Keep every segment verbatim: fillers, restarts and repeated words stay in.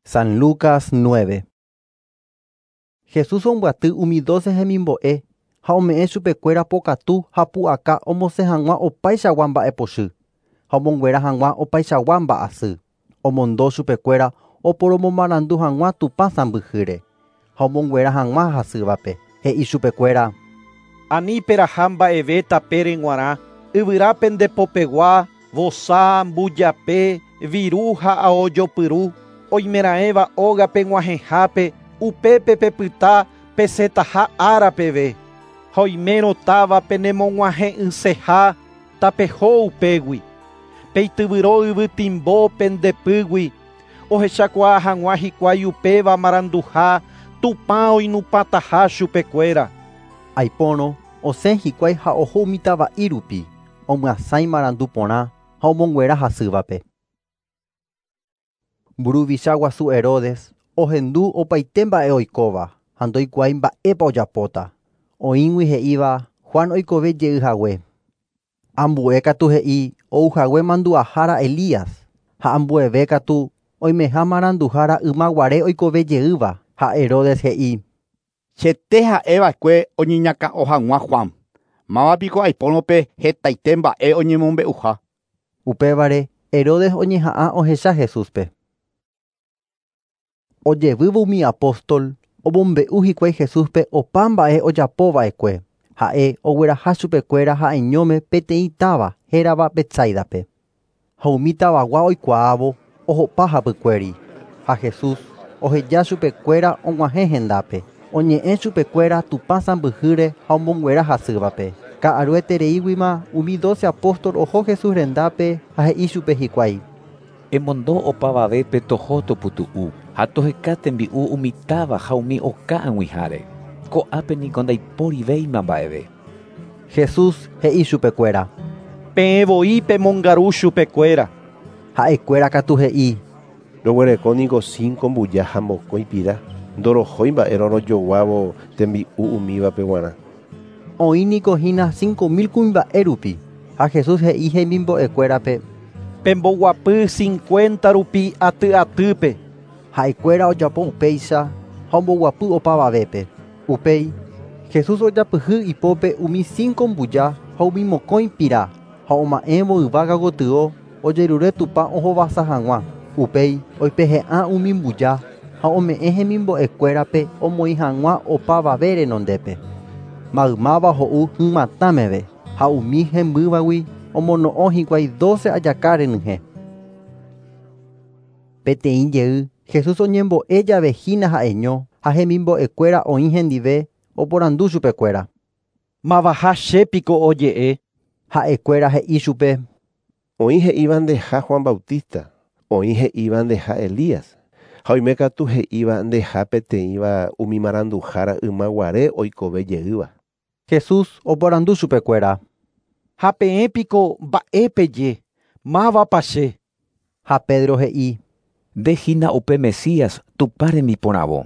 San Lucas nueve. Jesús ombyaty umi doce hemimbo'e ha ome'ẽ chupekuéra pokatu ha pu'aka omosẽ hag̃ua opaichagua mba'epochy ha omonguera hag̃ua opaichagua mba'asy. Omondo chupekuéra oporomomarandu hag̃ua Tupã sãmbyhýre ha omonguera hag̃ua hasývape. He'i chupekuéra: Ani peraha mba'eve tapére g̃uarã, yvyra pendepopegua, vosa, mbujape, viru ha aojopyru, oimeraẽva ógape g̃uahẽhápe, upépe pepyta pesẽtaha ára peve. Ha oimérõ táva penemog̃uahẽ'ỹseha tapeho upégui. Peityvyro yvytimbo pendepýgui, ohechakuaa hag̃ua hikuái upéva maranduha Tupã oinupãtaha chupekuéra. Aipórõ osẽ hikuái ha oho umi tava'i rupi, omyasãi marandu porã ha omonguera hasývape. Mburuvicha guasu Herodes ohendu opaite mba'e oikóva ha ndoikuaái mba'épa ojapóta. Oĩgui he'íva Juan oikove jey hague. Ambue katu he'i ouhague mandu'ahára Elías ha ambueve katu oimeha maranduhára ymaguare oikove jeýva ha Herodes he'i: Chete ha'eva'ekue oñeñakã'o hag̃ua Juan. Mávapiko aipórõpe hetaite mba'e oñemombe'uha. Upévare Herodes oñeha'ã ohecha Jesúspe. Ojevývo umi apóstol omombe'u hikuái Jesúspe opa mba'e ojapova'ekue. Ha'e ogueraha chupekuéra ha'eñóme peteĩ táva hérava Betsaidape. Ha umi tavagua oikuaávo ohopa hapykuéri. Ha Jesús oheja chupekuéra og̃uahẽ hendápe. Oñe'ẽ chupekuéra Tupã sãmbyhýre ha omonguera hasývape. Ka'aruetereíguima umi doce apóstol oho Jesús rendápe ha he'i chupe hikuái: Emondo opavavépe toho toputu'u ha toheka tembi'u umi táva ha umi oka ag̃uiháre. Ko'ápe niko ndaiporivéima mba'eve. Jesús he'i chupekuéra: Peẽ voi pemongaru chupekuéra. Ha'ekuéra katu he'i: Roguereko niko cinco mbuja ha mokõi pira, ndorohói mba'érõ rojoguávo tembi'u umívape g̃uarã. Oĩ niko hína cinco mil kuimba'e rupi. Ha Jesús he'i hemimbo'ekuérape: Pemboguapy cincuenta rupi aty atýpe. Ha'ekuéra ojapo upéicha ha omboguapy opavavépe. Upéi Jesús ojapyhy ipópe umi cinco mbuja ha umi mokõi pira ha oma'ẽvo yvága gotyo ojerure Tupã ohovasa hag̃ua. Upéi oipehe'ã umi mbuja ha ome'ẽ hemimbo'ekuérape omoĩ hag̃ua opavave renondépe. Maymáva ho'u hymatã meve ha umi hembývagui omono'õ hikuái doce ajaka renyhẽ. Peteĩ jey Jesús oñembo'e jave hína ha'eño ha hemimbo'ekuéra oĩ hendive oporandu chupekuéra: Mavaha chépiko oje'e. Ha'ekuéra he'i chupe: Oĩ he'íva ndeha Juan Bautista, oĩ he'íva ndeha Elías, ha oime katu he'íva ndeha peteĩva umi maranduhára ymaguare oikove jeýva. Jesús oporandu chupekuéra: Ha peẽpiko mba'épeje, mávapa che. Ha Pedro he'i: Nde hína upe Mesías Tupã rembiporãvo.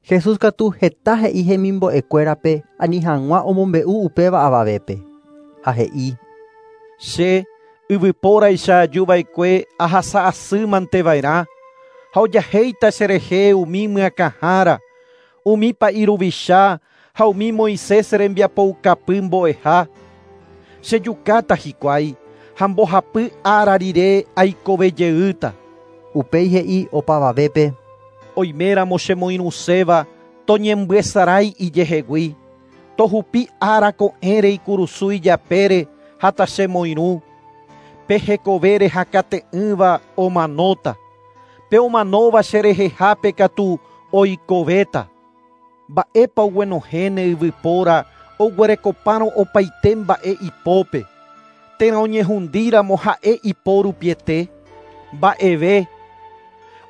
Jesús katu heta he'i hemimbo'ekuérape ani hag̃ua omombe'u upéva avavépe. Ha he'i: Che yvypóraicha ajuva'ekue ahasa asýmanteva'erã ha ojahéita cherehe umi myakãhára, umi pa'iruvicha ha umi Moisés rembiapoukapy mbo'eha. Chejukáta hikuái ha mbohapy ára rire aikove jeýta. Upéi he'i opavavépe: Oiméramo chemoirũséva toñembyesarái ijehegui, tohupi ára ko'ẽre ikurusu ijapére ha tachemoirũ. Pe hekovére hakate'ỹva omanóta, pe omanóva cherehehápe katu oikovéta. Mba'épa oguenohẽne yvypóra oguerekopárõ opaite mba'e ipópe, térã oñehundíramo ha'e ipo rupiete. Mba'eve.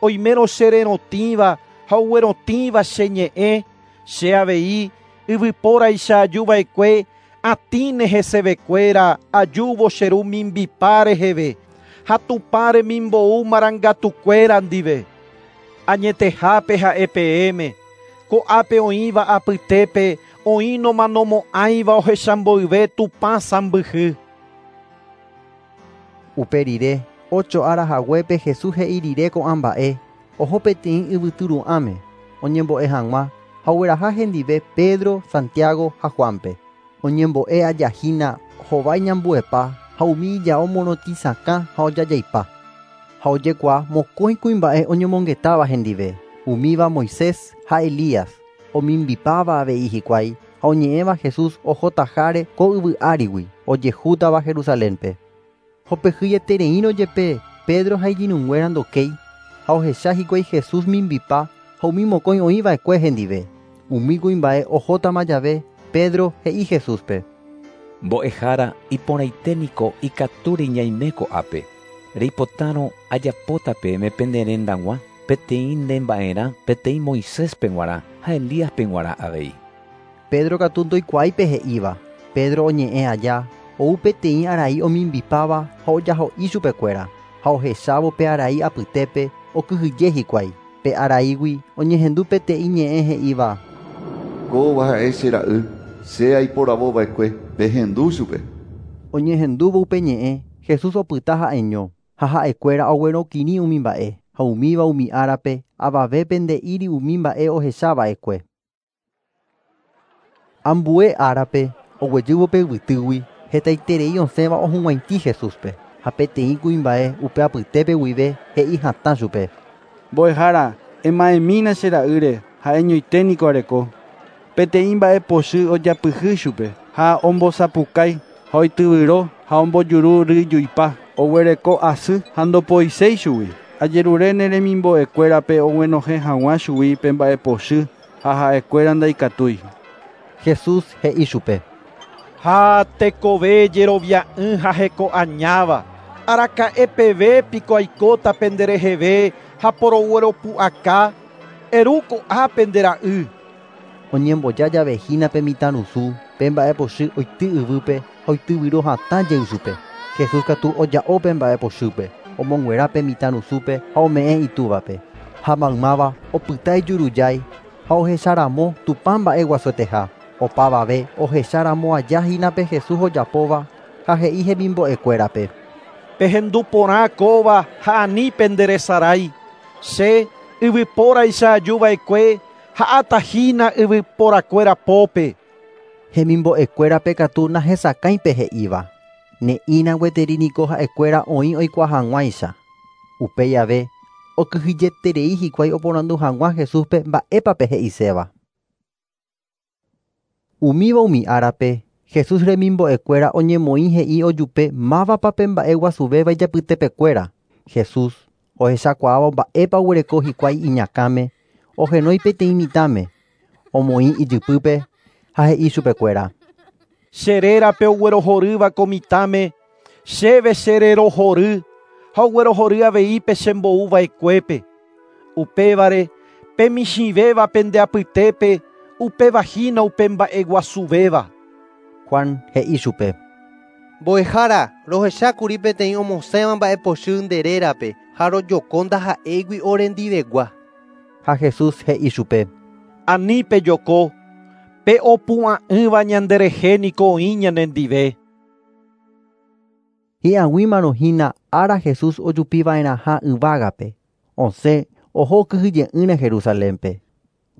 Oimérõ chererotĩva ha oguerotĩva che ñe'ẽ, che avei yvypóraicha ajuva'ekue atĩne hesevekuéra ajúvo che ru mimbipa reheve ha Tupã remimbou marangatukuéra ndive. Añetehápe ha'e peẽme, ko'ápe oĩva apytépe oĩ nomanomo'ãiva ohechamboyve Tupã sãmbyhy. Upe rire ocho ára haguépe Jesús he'i rire ko'ã mba'e oho peteĩ yvytyru'ãme oñembo'e hag̃ua ha ogueraha hendive Pedro, Santiago ha Juanpe. Oñembo'e ajahína hovái ñambuepa ha umi ijao morotĩsakã ha ojajaipa. Ha ojekuaa mokõi kuimba'e oñomongetáva hendive, umíva Moisés ha Elías, omimbipáva avei hikuái ha oñe'ẽva Jesús ohotaháre ko yvy árigui ojehútava Jerusalénpe. Hopehýietereírõ jepe Pedro ha iñirũnguéra ndokéi ha ohecha hikuái Jesús mimbipa ha umi mokõi oĩva'ekue hendive. Umi kuimba'e ohótama jave Pedro he'i Jesúspe. Mbo'ehára iporãite niko ikatúre ñaime ko'ápe. Reipotárõ ajapóta peẽme pende rendag̃ua peteĩ nde mba'erã peteĩ Moiséspe g̃uarã ha Elíaspe g̃uarã avei. Pedro katu ndoikuaáipe he'íva. Pedro oñe'ẽ aja ou peteĩ arai omimbipáva ha ojaho'i chupekuéra ha ohechávo pe arai apytépe okyhyje hikuái. Pe araígui oñehendu peteĩ ñe'ẽ he'íva. Kóva ha'e che ra'y, che aiporavova'ekue, pehendu chupe. Oñehendúvo upe ñe'ẽ, Jesús opyta ha'eño ha ha'ekuéra oguerokirĩ umi mba'e ha umíva umi árape avavépe nde'íri umi mba'e ohechava'ekue. Ambue árape oguejývo pe yvytýgui hetaiterei osẽva ohug̃uaitĩ Jesúspe ha peteĩ kuimba'e upe apytépe guive he'i hatã chupe. Mbo'ehára, ema'ẽmína che ra'ýre ha'eñoite niko areko. Peteĩ mba'epochy ojapyhy chupe ha ombosapukái ha oityvyro ha ombojuru ryjuipa oguereko asy ha ndopoiséi chugui. Ajerure ne remimbo'ekuérape oguenohẽ hag̃ua chugui pe mba'epochy ha ha'ekuéra ndaikatúi. Jesús he'i chupe. Ha tekove jerovia'ỹ ha heko añáva. Araka'epeve piko aikóta pendereheve ha porogueropu'aka. Eru ko'ápe nde ra'y. Oñemboja jave hína pe mitãrusu, pe mba'epochy oity yvýpe ha oityvyro hatã jey chupe. Jesús katu oja'o pe mba'epochýpe, omonguera pe mitãrusúpe ha ome'ẽ itúvape. Ha maymáva opyta ijurujái ha ohecharamo Tupã mba'eguasueteha. Opavave ohecharamo aja hína pe Jesús ojapóva ha he'i hemimbo'ekuérape. Pehendu porã kóva ha ani penderesarái. Che yvypóraicha ajuva'ekue ha'atahína yvyporakuéra pópe. Hemimbo'ekuérape katu nahesakãipe he'íva. Ne'ĩra gueteri niko ha'ekuéra oĩ oikuaa hag̃uáicha. Upéi ave okyhyjeterei hikuái oporandu hag̃ua Jesúspe mba'épape he'iséva. Umíva umi árape Jesús remimbo'ekuéra oñemoĩ he'i ojupe mávapa pe mba'eguasuvéva ijapytepekuéra. Jesús ohechakuaáva mba'épa oguereko hikuái iñakãme ohenói peteĩ mitãme, omoĩ ijypýpe ha he'i chupekuéra. Che rérape oguerohorýva ko mitãme, chéve chererohory ha oguerohory avei pe chembo'uva'ekuépe. Upévare pe michĩvéva pende apytépe upéva hína upe mba'eguasuvéva. Juan he'i chupe. Mbo'ehára, rohechákuri peteĩ omosẽva mba'epochy nde rérape ha rojoko ndaha'éigui orendivegua. Ha Jesús he'i chupe. Ani pejoko, pe opu'ã'ỹva ñanderehe niko oĩ ñanendive. Hi'ag̃uímarõ hína ára Jesús ojupiva'erãha yvágape. Osẽ oho kyhyje'ỹre Jerusalénpe.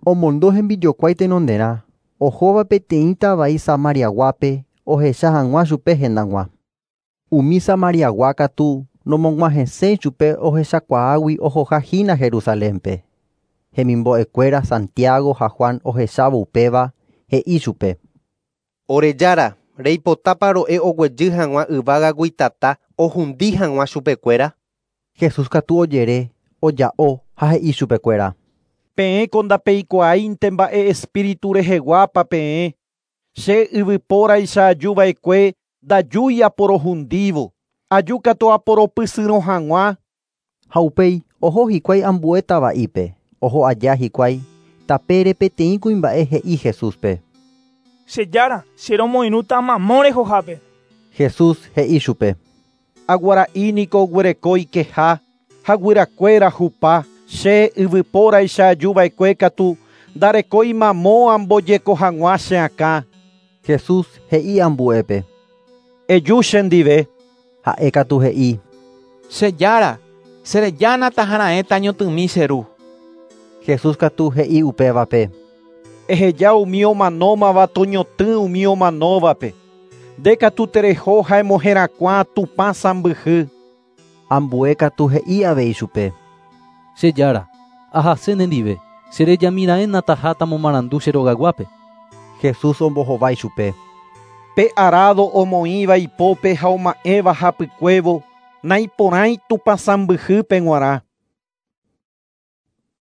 Omondo hembijokuái tenonderã, ohóva peteĩ tavai Samariaguápe ohecha hag̃ua chupe hendag̃ua. Umi Samariagua katu nomog̃uahẽséi chupe ohechakuaágui ohoha hína Jerusalénpe. Hemimbo'ekuéra Santiago ha Juan ohechávo upéva he'i chupe. Ore jára, reipotápa ro'e oguejy hag̃ua yvágagui tata ohundi hag̃ua chupekuéra. Jesús katu ojere, oja'o ha he'i chupekuéra. Peẽ ko ndapeikuaáinte mba'e espíritu reheguápa peẽ. Che yvypóraicha ajuva'ekue ndajúi aporohundívo. Aju katu aporopysyrõ hag̃ua. Ha upéi oho hikuái ambue tava'ípe. Oho aja hikuái tapére peteĩ kuimba'e he'i Jesúspe. Che jára, che romoirũta mamo rehohápe. Jesús he'i chupe. Aguara'i niko oguereko ikeha ha guyrakuéra hupa. Che yvypóraicha ajuva'ekue katu ndarekói mamo ambojeko hag̃ua che akã. Jesús he'i ambuépe. Eju chendive. Ha'e katu he'i. Che jára, Cherejána taharaẽ tañotỹmi che ru. Jesús katu he'i upévape. Eheja umi omanómava toñotỹ umi omanóvape. Nde katu tereho ha emoherakuã Tupã sãmbyhy. Ambue katu he'i avei chupe. Che Jára, ahase nendive, cherejamiraẽna taha tamomarandu che rogayguápe. Jesús ombohovái chupe. Pe arado omoĩva ipópe ha oma'ẽva hapykuévo naiporãi Tupã sãmbyhýpe g̃uarã.